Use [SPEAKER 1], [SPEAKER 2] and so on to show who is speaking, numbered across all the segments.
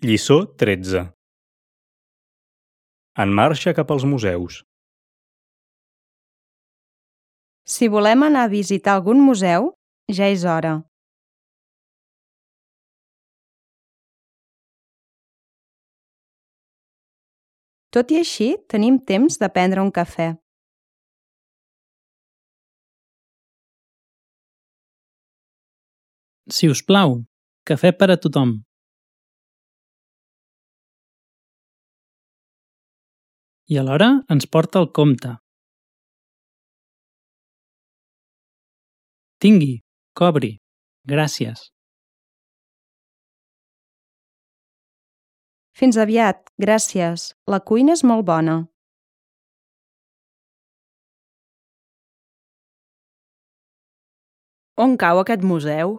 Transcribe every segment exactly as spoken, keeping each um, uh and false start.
[SPEAKER 1] Lliçó tretze. En marxa cap als museus.
[SPEAKER 2] Si volem anar a visitar algun museu, ja és hora. Tot i així, tenim temps de prendre un cafè.
[SPEAKER 3] Si us plau, cafè per a tothom. I alhora ens porta el compte. Tingui, cobri, gràcies.
[SPEAKER 2] Fins aviat, gràcies. La cuina és molt bona.
[SPEAKER 4] On cau aquest museu?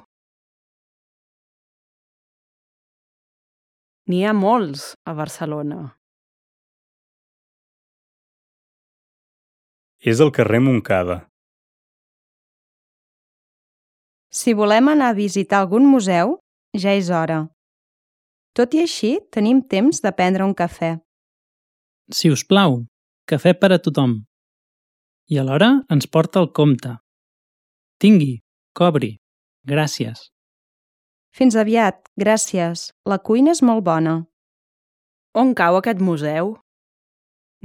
[SPEAKER 4] N'hi ha molts a Barcelona.
[SPEAKER 1] És al carrer Montcada.
[SPEAKER 2] Si volem anar a visitar algun museu, ja és hora. Tot i així, tenim temps de prendre un cafè.
[SPEAKER 3] Si us plau, cafè per a tothom. I alhora ens porta el compte. Tingui, cobri, gràcies.
[SPEAKER 2] Fins aviat, gràcies. La cuina és molt bona.
[SPEAKER 4] On cau aquest museu?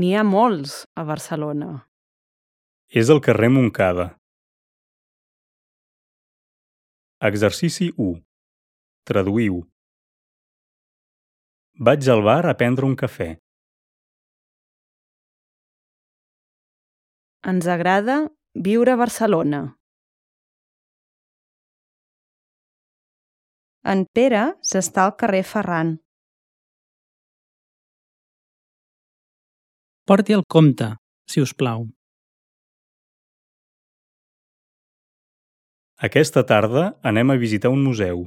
[SPEAKER 4] N'hi ha molts a Barcelona.
[SPEAKER 1] És al carrer Montcada. Exercici u. Traduïu. Vaig al bar a prendre un cafè.
[SPEAKER 4] Ens agrada viure a Barcelona.
[SPEAKER 2] En Pere s'està al carrer Ferran.
[SPEAKER 3] Porti el compte, si us plau.
[SPEAKER 1] Aquesta tarda anem a visitar un museu.